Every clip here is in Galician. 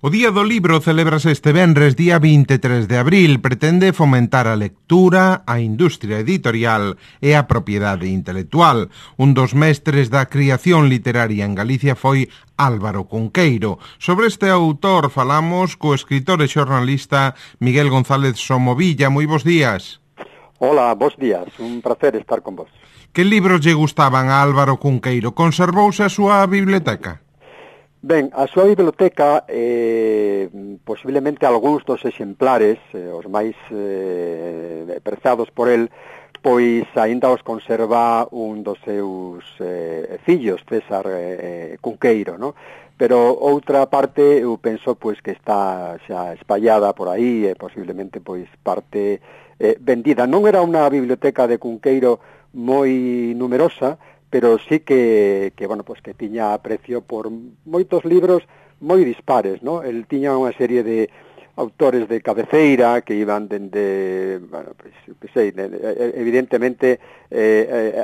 O Día do Libro celébrase este venres, día 23 de abril. Pretende fomentar a lectura, a industria editorial e a propiedade intelectual. Un dos mestres da criación literaria en Galicia foi Álvaro Cunqueiro. Sobre este autor falamos co escritor e xornalista Miguel González Somovilla. Moi bons días. Hola, bons días. Un placer estar con vos. Que libros lle gustaban a Álvaro Cunqueiro? Conservouse a súa biblioteca? Ben, a súa biblioteca, posiblemente algúns dos exemplares, os máis prezados por el, pois aínda os conserva un dos seus fillos, César Cunqueiro, no? Pero outra parte eu penso pois que está xa espallada por aí e posiblemente pois parte vendida. Non era unha biblioteca de Cunqueiro moi numerosa, pero sí que bueno, pues que tiña aprecio por moitos libros moi dispares, ¿no? El tiña unha serie de autores de cabeceira que iban dende, bueno, pues, que sei, evidentemente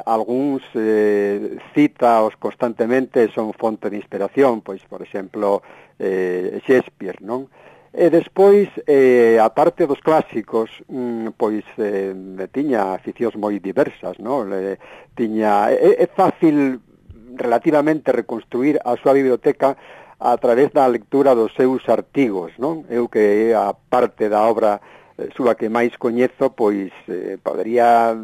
algúns citaos constantemente, son fonte de inspiración, pois, por exemplo, Shakespeare, non? E despois, a parte dos clásicos, pois tiña aficións moi diversas, non? É fácil relativamente reconstruir a súa biblioteca a través da lectura dos seus artigos, non? Eu que a parte da obra súa que máis coñezo, pois podería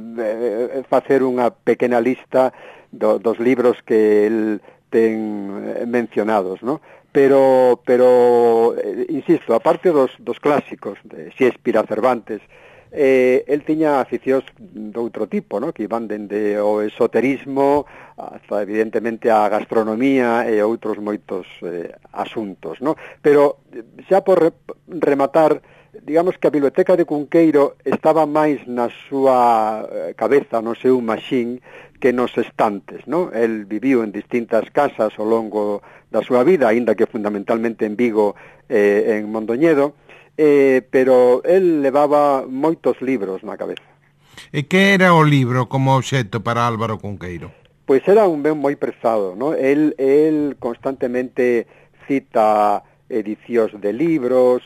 facer unha pequena lista dos libros que el ten mencionados, non? Pero insisto, a parte dos clásicos de Shakespeare a Cervantes, el tiña aficións de outro tipo, ¿no? Que iban dende o esoterismo hasta evidentemente a gastronomía e outros moitos asuntos, ¿no? Pero xa por rematar, digamos que a biblioteca de Cunqueiro estaba máis na súa cabeza, no seu maxín, que nos estantes, ¿no? El viviu en distintas casas ao longo da súa vida, aínda que fundamentalmente en Vigo en Mondoñedo, pero el levaba moitos libros na cabeza. E que era o libro como obxecto para Álvaro Cunqueiro? Pois era un ben moi prezado, ¿no? El constantemente cita edicións de libros,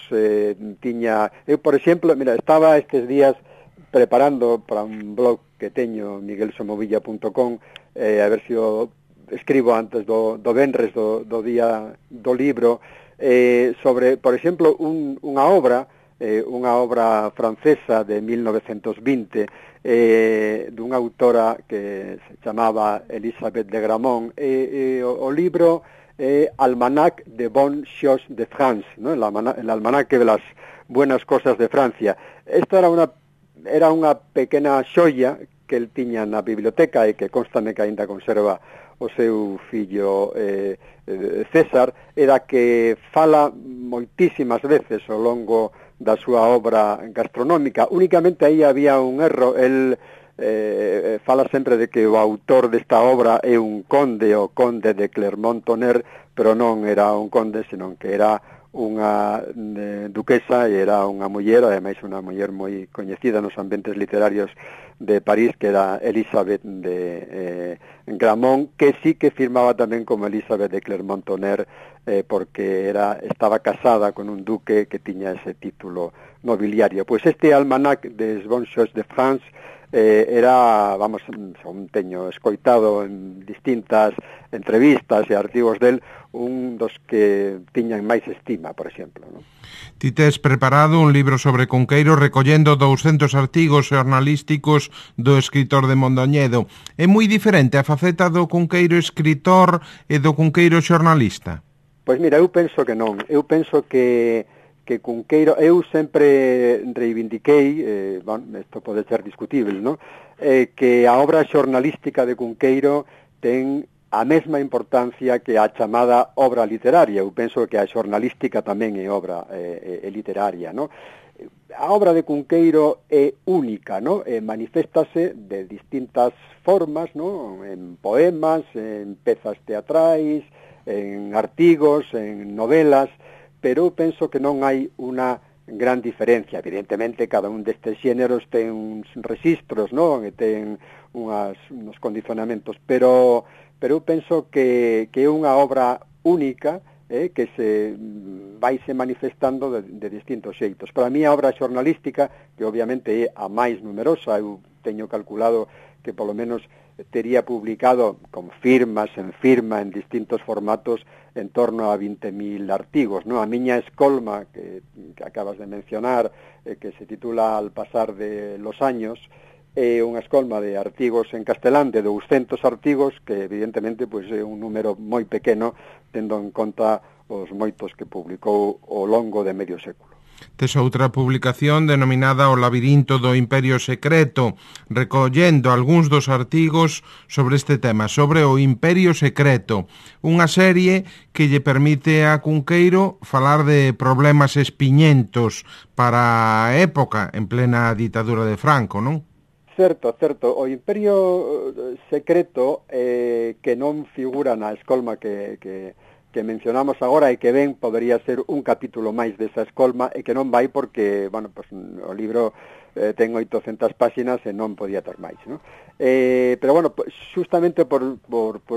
tiña... Eu, por exemplo, mira, estaba estes días preparando para un blog que teño, miguelsomovilla.com, a ver se o escribo antes do venres do día do libro, sobre, por exemplo, unha obra francesa de 1920, dunha autora que se chamaba Elisabeth de Gramont, o libro Almanac de Bonnes Choses de France, ¿no? El almanaque de las buenas cosas de Francia. Esta era unha pequena xoia que el tiña na biblioteca e que constame que aínda conserva o seu fillo César, era que fala moitísimas veces ao longo da súa obra gastronómica. Únicamente aí había un erro. El fala sempre de que o autor desta obra é un conde, o conde de Clermont-Tonnerre, pero non era un conde, senón que era unha duquesa e era unha muller, ademais unha muller moi coñecida nos ambientes literarios de París, que era Elisabeth de Gramont, que sí que firmaba tamén como Elisabeth de Clermont-Tonnerre, porque estaba casada con un duque que tiña ese título nobiliario. Pois este almanac des Bonnes Choses de France era, vamos, son teño escoitado en distintas entrevistas e artigos del, un dos que tiñan máis estima, por exemplo, ¿no? Ti tes preparado un libro sobre Cunqueiro recollendo 200 artigos xornalísticos do escritor de Mondoñedo. É moi diferente a faceta do Cunqueiro escritor e do Cunqueiro xornalista? Pois mira, eu penso que non. Eu penso que Cunqueiro, eu sempre reivindiquei, bueno, isto pode ser discutible, ¿no? Que a obra xornalística de Cunqueiro ten a mesma importancia que a chamada obra literaria. Eu penso que a xornalística tamén é obra literaria, ¿no? A obra de Cunqueiro é única, ¿no? Maniféstase de distintas formas, ¿no? En poemas, en pezas teatrais, en artigos, en novelas, pero eu penso que non hai unha gran diferencia. Evidentemente, cada un destes xéneros ten uns registros, non? E ten uns condicionamentos, pero eu penso que é unha obra única que se vaise manifestando de distintos xeitos. Para mí a obra xornalística, que obviamente é a máis numerosa, eu teño calculado que polo menos tería publicado con firmas, en firma, en distintos formatos, en torno a 20.000 artigos, ¿no? A miña escolma, que acabas de mencionar, que se titula Al pasar de los años, é unha escolma de artigos en castelán de 200 artigos, que evidentemente pois, é un número moi pequeno, tendo en conta os moitos que publicou ao longo de medio século. Tes outra publicación denominada O labirinto do Imperio Secreto, recollendo algúns dos artigos sobre este tema, sobre o Imperio Secreto, unha serie que lle permite a Cunqueiro falar de problemas espiñentos para a época, en plena ditadura de Franco, non? Certo. O Imperio Secreto, que non figura na escolma que mencionamos agora e que ben podería ser un capítulo máis desa escolma e que non vai porque, bueno, pues, o libro ten 800 páxinas e non podía ter máis, ¿no? Pero bueno, justamente por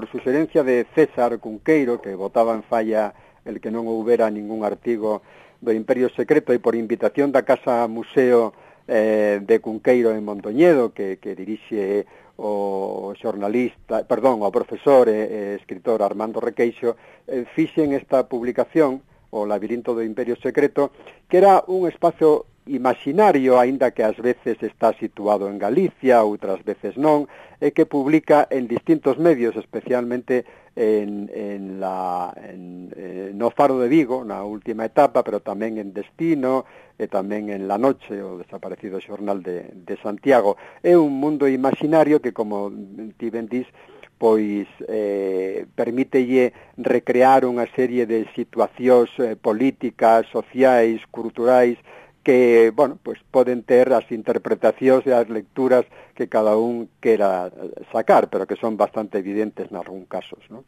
suxerencia de César Cunqueiro, que botaba en falla el que non houbera ningún artigo do Imperio Secreto, e por invitación da Casa Museo de Cunqueiro en Mondoñedo, que dirixe o profesor e escritor Armando Requeixo, fixen esta publicación, O labirinto do Imperio Secreto, que era un espazo imaginario, aínda que ás veces está situado en Galicia, outras veces non, e que publica en distintos medios, especialmente no Faro de Vigo, na última etapa, pero tamén en Destino, e tamén en La Noche, o desaparecido xornal de Santiago. É un mundo imaginario que, como ti ben dis, pois permítelle recrear unha serie de situacións políticas, sociais, culturais, que, bueno, pues poden ter as interpretacións e as lecturas que cada un quera sacar, pero que son bastante evidentes nalgún casos, ¿no?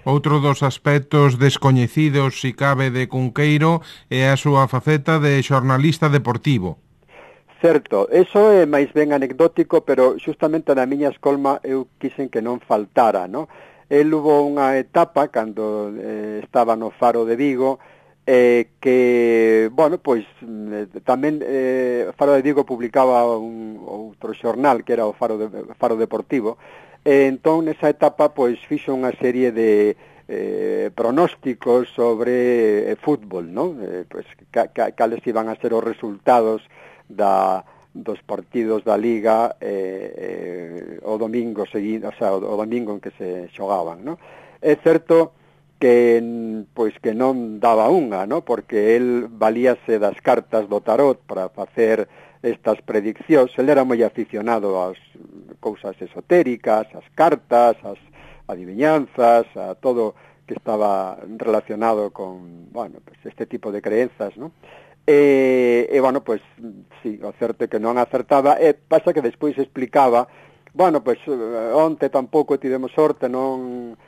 Outro dos aspectos descoñecidos, si cabe, de Cunqueiro é a súa faceta de xornalista deportivo. Certo, eso é máis ben anecdótico, pero justamente na miña escolma eu quixen que non faltara, ¿no? El hubo unha etapa, cando estaba no Faro de Vigo, que, bueno, pois tamén Faro de Vigo publicaba un outro xornal que era o Faro Deportivo, entón nesa etapa pois fixo unha serie de pronósticos sobre fútbol, non? Pois cales iban a ser os resultados dos partidos da Liga o domingo seguinte, o sea, o domingo en que se xogaban, non? É certo que pois que non daba unha, ¿no? Porque el valíase das cartas do tarot para facer estas prediccións. El era moi aficionado ás cousas esotéricas, ás cartas, ás adivinanzas, a todo que estaba relacionado con, bueno, pues este tipo de creencias, ¿no? Bueno, pues sí, o certo é que non acertaba, pasa que despois explicaba, bueno, pues onte tampouco tivemos sorte, non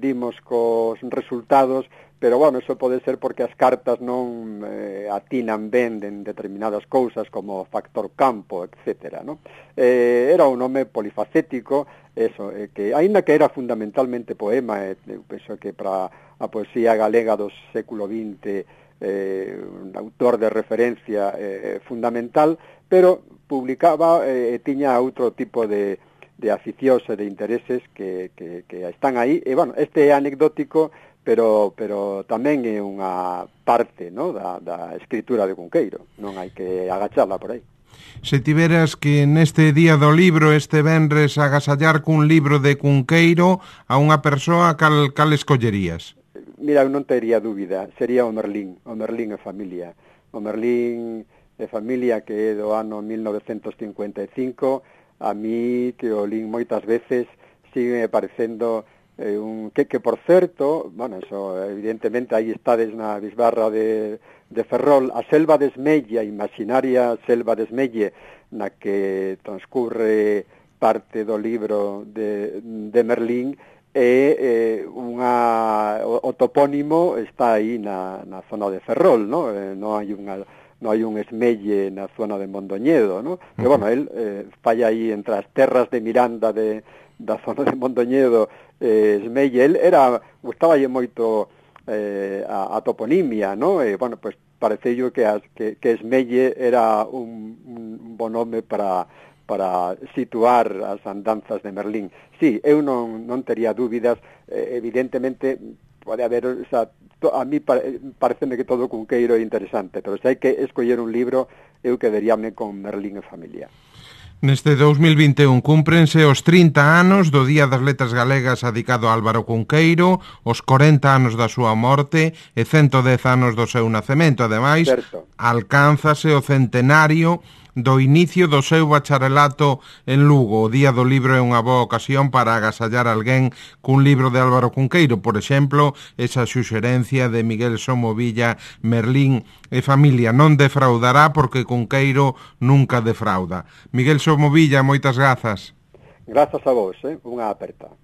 dimos cos resultados, pero bueno, eso pode ser porque as cartas non atinan ben en determinadas cousas como factor campo, etcétera, ¿no? Era un home polifacético, eso, que aínda que era fundamentalmente poema, eu penso que para a poesía galega do século XX un autor de referencia fundamental, pero publicaba tiña outro tipo de aficións e de intereses que están aí, e, bueno, este é anecdótico, pero tamén é unha parte, ¿no?, da escritura de Cunqueiro, non hai que agacharla por aí. Se tiveras que neste día do libro, este venres, agasallar cun libro de Cunqueiro a unha persoa, cal escollerías? Mira, eu non tería dúbida, sería o Merlín e familia. O Merlín e familia, que é do ano 1955, a mí, que o lín moitas veces, sigue parecendo que por certo, bueno, eso, evidentemente, aí estades na bisbarra de Ferrol, a selva de Esmelle, a imaginaria selva de Esmelle, na que transcurre parte do libro de Merlín, o topónimo está aí na zona de Ferrol, ¿no? Non hai un Esmelle na zona de Mondoñedo, ¿no? Pero, bueno, el falla aí entre as terras de Miranda da zona de Mondoñedo, Esmelle. El gustaballe moito a toponimia, ¿no? Bueno, pues parece yo que Esmelle era un bon home para situar as andanzas de Merlín. Sí, eu non tería dúbidas, evidentemente pode haber, o sea, a mí pareceme que todo Cunqueiro é interesante, pero se hai que escoller un libro, eu quedaríame con Merlín e familia. Neste 2021 cúmprense os 30 anos do Día das Letras Galegas adicado a Álvaro Cunqueiro, os 40 anos da súa morte e 110 anos do seu nacemento. Ademais, alcánzase o centenario do inicio do seu bacharelato en Lugo. O Día do Libro é unha boa ocasión para agasallar alguén cun libro de Álvaro Cunqueiro. Por exemplo, esa suxerencia de Miguel Somovilla, Merlín e familia non defraudará porque Cunqueiro nunca defrauda. Miguel Somovilla, moitas grazas. Grazas a vos, unha aperta.